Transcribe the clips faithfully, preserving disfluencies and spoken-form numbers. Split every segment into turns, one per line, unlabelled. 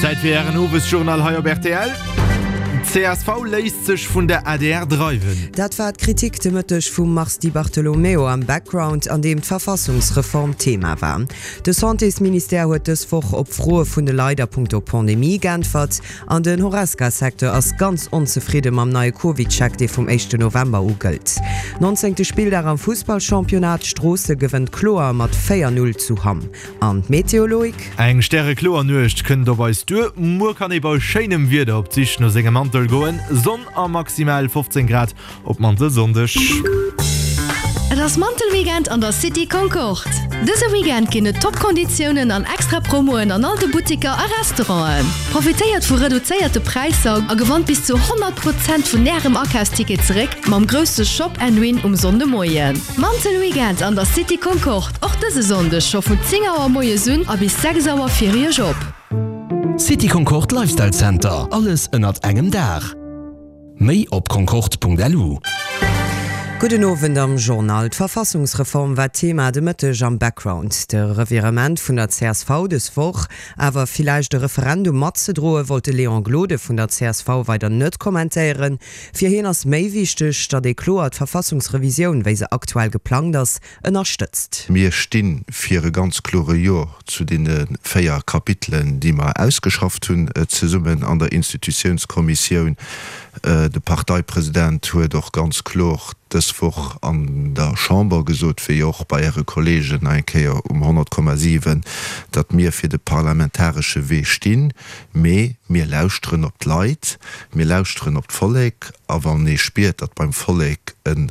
Zäit fir Ären Owesjournal hei op rtl. Csv léisst sech vun der adr dreiwen.
Dat war d'Kritik de Mëtteg vum Mars Di Bartolomeo am Background, an deem d'Verfassungsreform Thema war. De Santésministère huet dës Woch op Froe vun de Leit a punkto Pandemie geäntwert an den Horesca-Secteur ass ganz onzefridde mam neie CovidCheck, dee vum éischten November u gëllt. Nonzéngte Spilldag am Fussballchampionnat, Stroosse gewënnt kloer mat véier Null zu Hamm. An d'Meteo, Loïc?
Eng stärekloer Nuecht kënnt op eis duer. Muer kann ee bei schéinem Wieder op d'Sich no sengem Mantel goen. Sonn a maximal fofzéng Grad op Mantelsonndeg.
Et ass Mantelweekend an der City Concorde! Dëse Weekend ginn et top Konditiounen an extra Promoen an all de Buttiker a Restauranten. Profitéiert vu reduzéierte Präisser a gewannt bis zu honnert Prozent vun Ärem Akafsticket zeréck mam grousse Shop and Win um Sonndemoien. Mantelweekend an der City Concorde, och dëse Sonndeg scho vun zéng Auer moies un a bis sechs Auer fir Iech op.
City Concorde Lifestyle Center, alles ënnert engem Daach. Méi op concorde.lu.
Gudden Owend am Journal. D'Verfassungsreform war Thema de Mëtteg am Background. De Revirement vun der csv dës Woch, awer villäicht e Referendum matzedroen, wollt de Léon Gloden vun der csv weider net kommentéieren. Fir hien ass méi wichteg, datt ee kloer d'Verfassungsrevisioun, wéi se aktuell geplangt ass, ënnerstëtzt.
Mir sti fir e ganz klore Jo zu deene véier Kapitelen, déi mer ausgeschafft hunn zesummen an der Institutiounskommissioun. De Parteipresident huet och ganz kloer dës Woch an der Chamber gesot, wéi och bei Äre Kollegen nach eng Kéier um honnert Komma siwen, datt mir fir de parlamentaresche Wee stinn. Mee mir lauschteren op d'Leit, mir lauschteren op d'Vollek. A wann ee spiert, datt beim Vollek e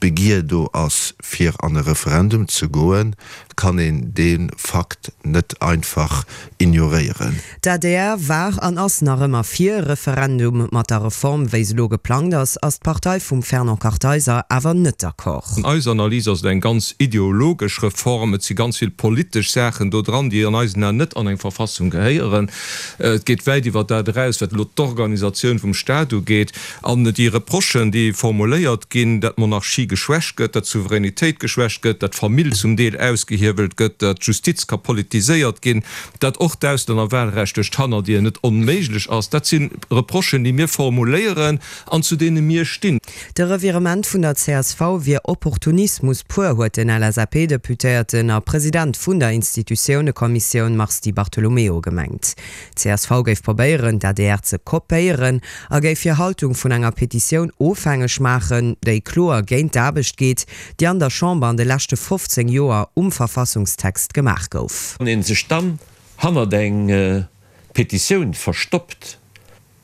Begier do ass, fir an e Referendum ze goen, kann een dee Fakt net einfach ignoréieren.
D'adr war an ass nach ëmmer fir e Referendum. Mat der Reform, wéi se elo geplangt ass, ass d'Partei vum Fernand Kartheiser awer net d'accord.
An eiser Analys ass et eng ganz ideologesch Reform. Et si ganz vill politesch Saachen do dran, déi an eisen Aen net an eng Verfassung gehéieren. Et geet wäit iwwer dat eraus, wat elo d'Organisatioun vum Staat ugeet. An déi Reprochen, déi formuléiert ginn, datt d'Monarchie geschwächt gëtt, datt d'Souveränitéit geschwächt gëtt, datt d'Famill zum Deel ausgehiewelt gëtt, datt d'Justiz ka politiséiert ginn, datt och d'Auslännerwahlrecht duerch d'Hannerdier net onméiglech ass, dat si Reprochen, déi mir formuléieren an zu deene mir stinn.
De Revirement vun der csv wier Opportunismus pur, huet den L S A P-Deputéierten a President vun der Institutiounekommissioun Mars Di Bartolomeo gemengt. D'csv géif probéieren, d'A D R ze kopéieren a géif hir Haltung vun enger Petitioun ofhängeg maachen, déi kloer géint d'Aarbecht geet, déi an der Chamber an de leschte fofzéng Joer um Verfassungstext gemaach gouf.
Wann ee sech dann hannert eng Petitioun verstoppt,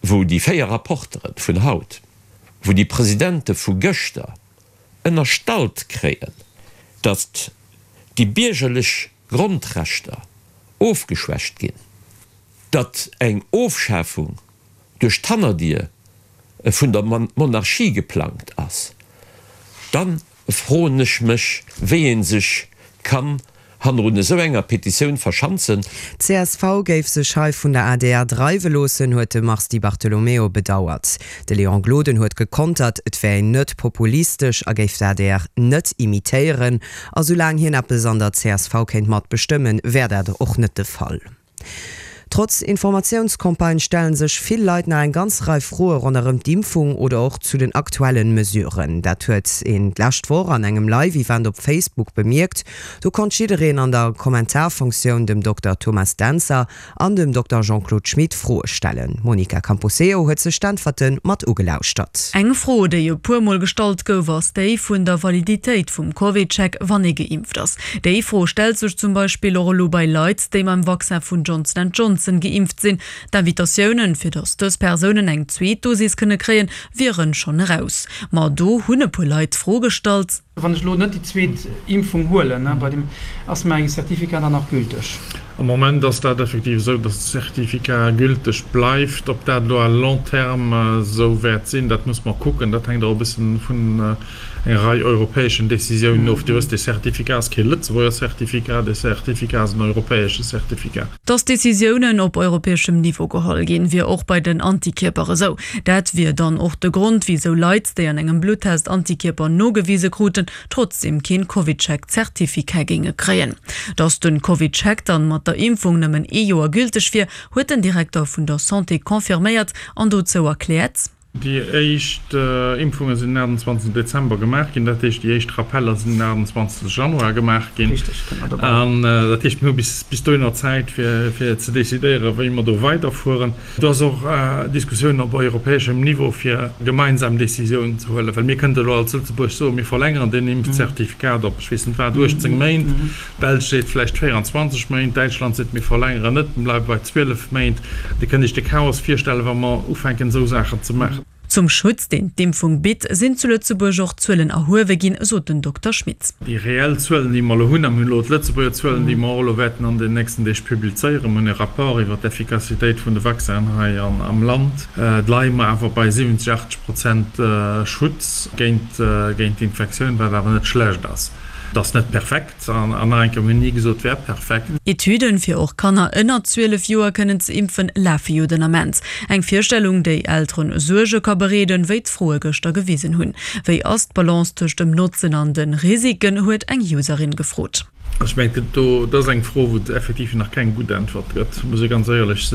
wou déi véier Rapporteren vun haut, wou déi Presidente vu gëschter ënnerstallt kréien, datt déi biergerlech Grondrechter ofgeschwächt ginn, datt eng Ofschafung duerch d'Hannerdier vun der Monarchie geplangt ass, da froen ech mech, wéi ee sech kann hannerun esou enger Petitioun verschanzen.
Csv géif sech hei vun der adr dreiwe loossen, huet de Mars Di Bartolomeo bedauert. De Léon Gloden huet gekontert, et wär een net populistesch a géif d'adr net imitéieren. A soulaang hien eppes an der csv kéint matbestëmmen, wär dat och net de Fall. Trotz Informatiounscampagne stellen sech vill Leit nach eng ganz Rei Froe ronderëm d'Impfung oder och zu den aktuellen Mesuren. Dat huet een d'lescht Woch an engem Live-Event op Facebook bemierkt. Do konnt jiddereen an der Kommentarfunktioun dem Dokter Thomas Dentzer an dem Dokter Jean-Claude Schmit Froe stellen. D'Monica Camposeo huet sech d'Äntwerte mat ugelauschtert.
Eng Fro, déi e puer Mol gestallt gouf, ass déi vun der Validitéit vum CovidCheck, wann ee geimpft ass. Déi Fro stellt sech zum Beispill och elo bei Leit, déi mam Vaccin vun Johnson and Johnson geimpft sinn. D'Invitatiounen, fir datt dës Persounen eng zweet Dosis kënne kréien, wieren schonn eraus. Ma do hunn e puer Leit d'Fro gestallt.
Wann ech elo net déi zweet Impfung huelen, bei deem ass mäi Certificat dann nach gülteg?
Am Moment ass dat effektiv esou, datt de Certificat gülteg bleift. Ob dat elo à long terme esou wäert sinn, dat muss mer kucken. Dat hänkt och e bëssen vun enger Rei europäeschen Décisiounen of. Dir wësst, dee Certificat ass kee Lëtzebuerger Certificat, dee Certificat ass en europäesche Certificat.
Datt Decisiounen op europäeschem Niveau geholl ginn, wier och bei den Antikierper esou. Dat wier dann och de Grond, wisou Leit, déi an engem Bluttest Antikierper nogewise kruten, trotzdeem keen CovidCheck-Zertifikat géinge kréien. Datt den CovidCheck dann mat der Impfung nëmmen ee Joer gülteg wier, huet den Direkter vun der Santé confirméiert an dozou erkläert.
Déi éischt Impfunge sinn den achtundzwanzegsten Dezember gemaach ginn, dat heescht déi éischt Rappeller sinn den achtundzwanzegste Januar gemaach ginn. An dat heescht, mir hu bis dohinner Zäit fir ze decidéieren, wéi mer do weiderfueren. Do ass och Diskussioun op europäeschem Niveau fir gemeinsam Decisiounen ze huelen, well mir kënnte elo als Lëtzebuerg soen, mir verlängeren deen Impfzertifikat op ech weess net wat, uechtzéng Méint, d'Belsch seet vläicht véierundzwanzeg Méint, Däitschland seet, mir verlängeren net, mir bleiwe bei zwielef Méint. Dir kënnt Iech de Chaos virstellen, wa mer ufänken esou Saachen ze maachen.
Zum Schutz, deen d'Impfung bitt, sinn zu Lëtzebuerg och Zuelen erhuewe ginn, sot den Dokter Schmit.
Déi reell Zuelen, déi mer elo hunn, a mir hunn elo d'Lëtzebuerger Zuelen, déi mer och elo wäerten an den nächsten Deeg publizéieren, mir hunn e Rapport iwwert d'Effikassitéit vun de Vaccinen hei am Land, leie mer awer bei siwwenzeg, achtzeg Prozent Schutz géint d'Infektioun, wat awer net schlecht ass. Et ass net perfekt, an nach eng Kéier, mir hunn ni gesot, et wär perfekt.
Etüden, fir och Kanner ënner zwielef Joer kënnen ze impfen, lafe jo den Ament. Eng Virstellung, déi Elteren Suerge ka bereeden, wéi d'Froe gëschter gewisen hunn. Wéi ass d'Balance tëscht dem Notzen an de Risiken, huet eng Userin gefrot.
Ech mengen, dat ass eng Fro, wou et effektiv nach keng gutt Äntwert gëtt, muss ee ganz éierlech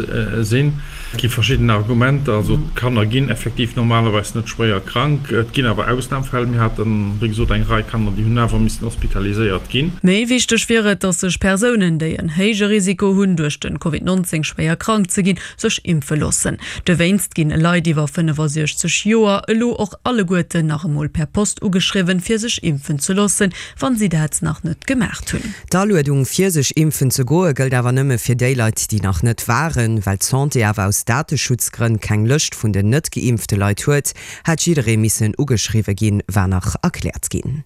sinn. Et gi verschidden Argumenter. Also d'Kanner ginn effektiv normalerweis net schwéier krank. Et ginn awer Ausnamfäll. Mir haten, wéi gesot, eng Rei Kanner, déi hunn awer missen hospitaliséiert ginn.
Méi wichteg wier et, datt sech Persounen, déi en héije Risiko hunn, duerch de Covid nonzéng schwéier krank ze ginn, sech impfe loossen. Dowéinst ginn Leit iwwer fënnefasiechzeg Joer elo och alleguerten nach emol per Post ugeschriwwen, fir sech impfen ze loossen, wann si dat nach net gemaacht hunn.
D'Aluedung fir sech impfen ze goe gëllt awer nëmme fir déi Leit, déi nach net waren. Well d'Santé awer aus Dateschutzgrënn keng Lëscht vun den net geimpfte Leit huet, hätt jidderee missen ugeschriwwe ginn, war nach erkläert ginn.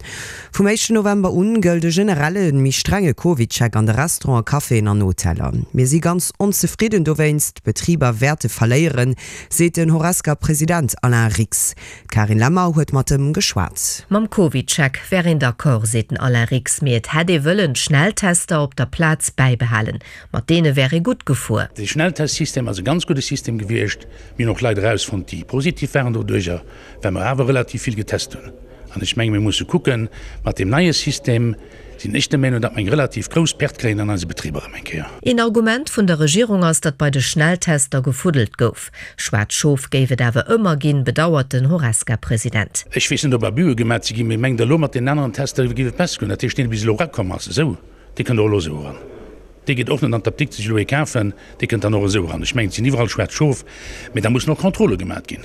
Vum éischten November un gëllt e generelle méi strenge Covid-Check an de Restauranten, Caféen an Hoteller. Mir si ganz onzefridden dowéinst, d'Betriber wäerte verléieren, seet den Horesca-President Alain Rix. D'Karin Lemmer huet mat em geschwat.
Mam CovidCheck wär een d'accord, seet den Alain Rix, mee et hätt ee wëllen d'Schnelltester op der Plaz bäibehalen. Mat deene wär ee gutt gefuer.
De Schnelltestsystem ass e ganz gudde System gewiescht. Mir hunn och Leit erausfonnt, déi positiv waren doduercher, well mer awer relativ vill getest hunn. An ech menge mir musse kucken, mat deem neie System sinn ech der Meenung, datt mer eng relativ grouss Perte kréien an eise Betriber erëm eng Kéier.
Een Argument vun der Regierung ass, datt bei de Schnelltester gefuddelt gouf. Schwaarz Schof géif et awer ëmmer ginn, bedauert den Horesca-President.
Ech weess net, ob Abuse gemat si ginn, mee mengt Der elo, mat deenen aneren Tester géif et besser goen? Dat heescht, deen, dee bis elo erakomm ass, esou, dee kënnt och elo esou eran. Dee geet och net an d'Apdikt sech elo ee kafen, dee kënnt dann och esou eran. Ech mengen, et sinn iwwerall schwaarz Schof, mee da mussen och Kontrolle gemat ginn.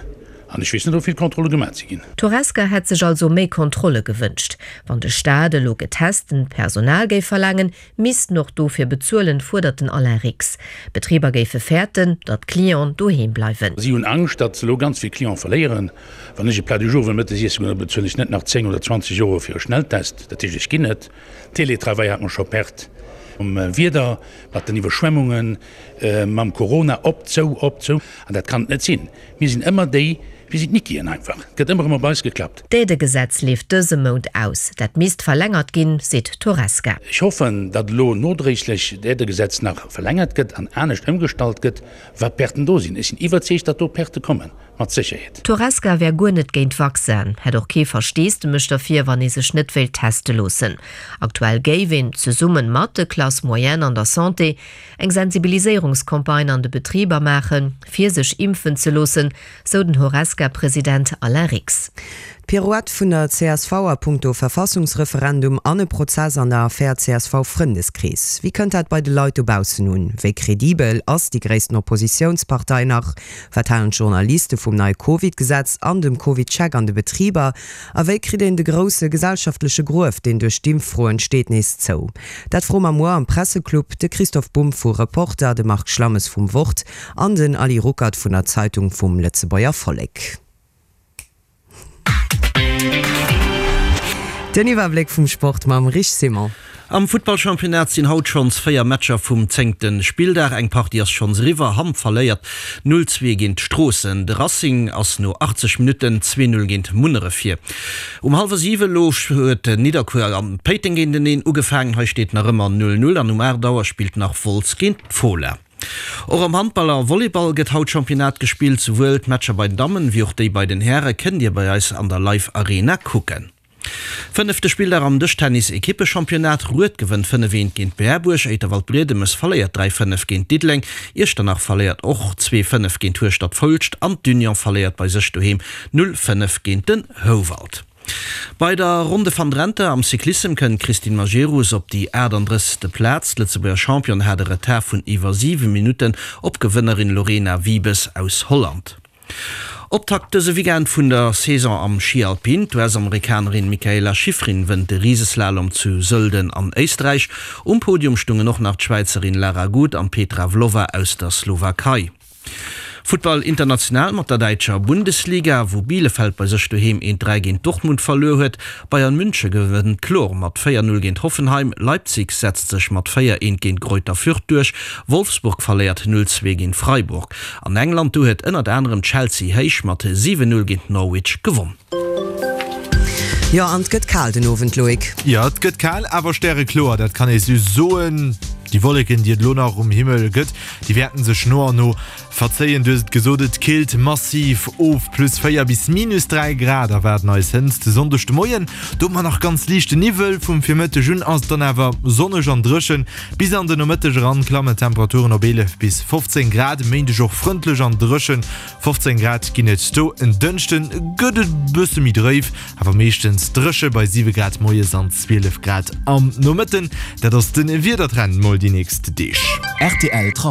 An ech weess net, ob vill Kontrolle gemat si ginn.
D'Horesca hätt sech also méi Kontrolle gewënscht. Wann de Staat elo getestent Personal géif verlaangen, misst en och dofir bezuelen, fuerdert den Alain Rix. D'Betriber géife fäerten, datt d'Clienten doheem bleiwen.
Si hunn Angscht, datt se elo ganz vill Cliente verléieren. Wann ech e Plat du jour wëll mëttes iessen goen, da bezuelen ech net nach zéng oder zwanzeg Euro fir e Schnelltest. Dat heescht, ech ginn net. Télétravail hat mer scho Perte mam Wieder, mat den Iwwerschwemmungen, mam Corona, op, zou, op, zou. An dat kann et net sinn. Mir sinn ëmmer déi, mir sinn d'Nickien einfach. Et gëtt ëmmer erëm op eis geklappt.
D'Aidëgesetz leeft dëse Mount aus. Dat misst verlängert ginn, seet d'Horesca.
Ech hoffen, datt elo nodréiglech d'Aidëgesetz nach verlängert gëtt an anescht ëmgestallt gëtt, wat Perten do sinn. Ech sinn iwwerzeegt, datt do Perte kommen, mat Sécherheet.
D'Horesca wär guer net géint Vaccinen, hätt och kee Versteesdemech derfir, wann ee sech net wéilt teste loossen. Aktuell géif een, zesumme mat de Classes moyennes an der Santé, eng Sensibiliséierungscampagne an de Betriber maachen, fir sech impfen ze loossen, sou den Horesca-President Alain Rix.
D'Pirouette vun der C S V a punkto Verfassungsreferendum an e Prozess an der Affär C S V-Frëndeskrees. Wéi kënnt dat bei de Leit dobaussen un? Wéi kredibel ass déi gréissten Oppositiounspartei nach? Wat halen d'Journaliste vum neie Covid-Gesetz an dem Covid-Check an de Betriber? A wéi kritt een de grousse gesellschaftleche Gruef, deen duerch d'Impffro entsteet, nees zou? Dat froe mer muer am Presseclub de Christoph Bumb vu Reporter, de Marc Schlammes vum Wort an den Ali Ruckert vun der Zeitung vum Lëtzebuerger Vollek. Den Iwwerbléck vum Sport mam Rich Simon.
Am Futtballchampionnat sinn haut schonns véier Matcher vum zéngte Spilldag. Eng Partie ass schonns eriwwer, Hamm verléiert null zwee géint Stroossen. De Racing ass no achtzeg Minutten zwee null géint Munneref vir. Um hallwer siwe elo huet Nidderkuer an Péiteng géinteneen ugefaangen. Hei steet nach ëmmer null null an um aacht Auer spillt nach Wolz géint d'Fola. Och am Handball a Volleyball gëtt haut Championnat gespillt. Souwuel d'Matcher bei den Dammen wéi och déi bei den Häre kënnt Dir bei eis an der Live Arena kucken. Fënnefte Spilldag am Dëschtennis-Ekippechampionnat, Rued gewënnt fënnef eent géint Berbuerg, Éiter-Waldbriedemes verléiert dräi fënnef géint Diddeleng, Iechternach verléiert och zwee fënnef géint Hueschtert-Foulscht an d'Union verléiert bei sech doheem null fënnef géint den Houwald. Bei der Ronde van Drenthe am Cyclissem kënnt d'Christine Majerus op déi achtandrëssegste Plaz. D'Lëtzebuerger Championne hat e Retard vun iwwer siwe Minutten op d'Gewënnerin Lorena Wiebes aus Holland. Optakt dëse Weekend vun der Saison am Schi Alpin, D'US-Amerikanerin Mikaela Shiffrin wënnt de Riseslalom zu Sölden an Éisträich. Um Podium stungen och nach d'Schwäizerin Lara Gut an d'Petra Vlhova aus der Slowakei. Futtball international mat der däitscher Bundesliga, wou Bielefeld bei sech doheem eent dräi géint Dortmund verluer huet. Bayern Münche gewënnt kloer mat véier null géint Hoffenheim, Leipzig setzt sech mat véier eent géint Greuther Fürth duerch, Wolfsburg verléiert null zwee géint Freiburg. An England, do huet ënnert anerem Chelsea héich mat siwen null géint Norwich gewonn.
Jo, an 't gëtt kal den Owend, Loïc.
Jo, 't gëtt kal, awer stärekloer, dat kann ee sou soen. Déi Wolleken, déi et elo nach um Himmel gëtt, déi wäerten sech no an no verzéien. Du hues et gesot, et killt massiv of, plus véier bis minus dräi Grad erwaarden eis hënt de Sonndeg de Moien. Do hu mer nach ganz liichte Niwwel, vum Virmëtteg un ass et dann awer sonneg an dréchen. Bis an de Nomëtteg eran klammen d'Temperaturen op eelef bis fofzéng Grad. E Méindeg och frëndlech an dréchen, fofzéng Grad ginn et do. En Dënschde gëtt et bësse méi dréif, awer meeschtens dréche bei siwe Grad moies an zwielef Grad am Nomëtten. Dat ass de Wiedertrend mol déi nächst Deeg.
Rtl Trafic.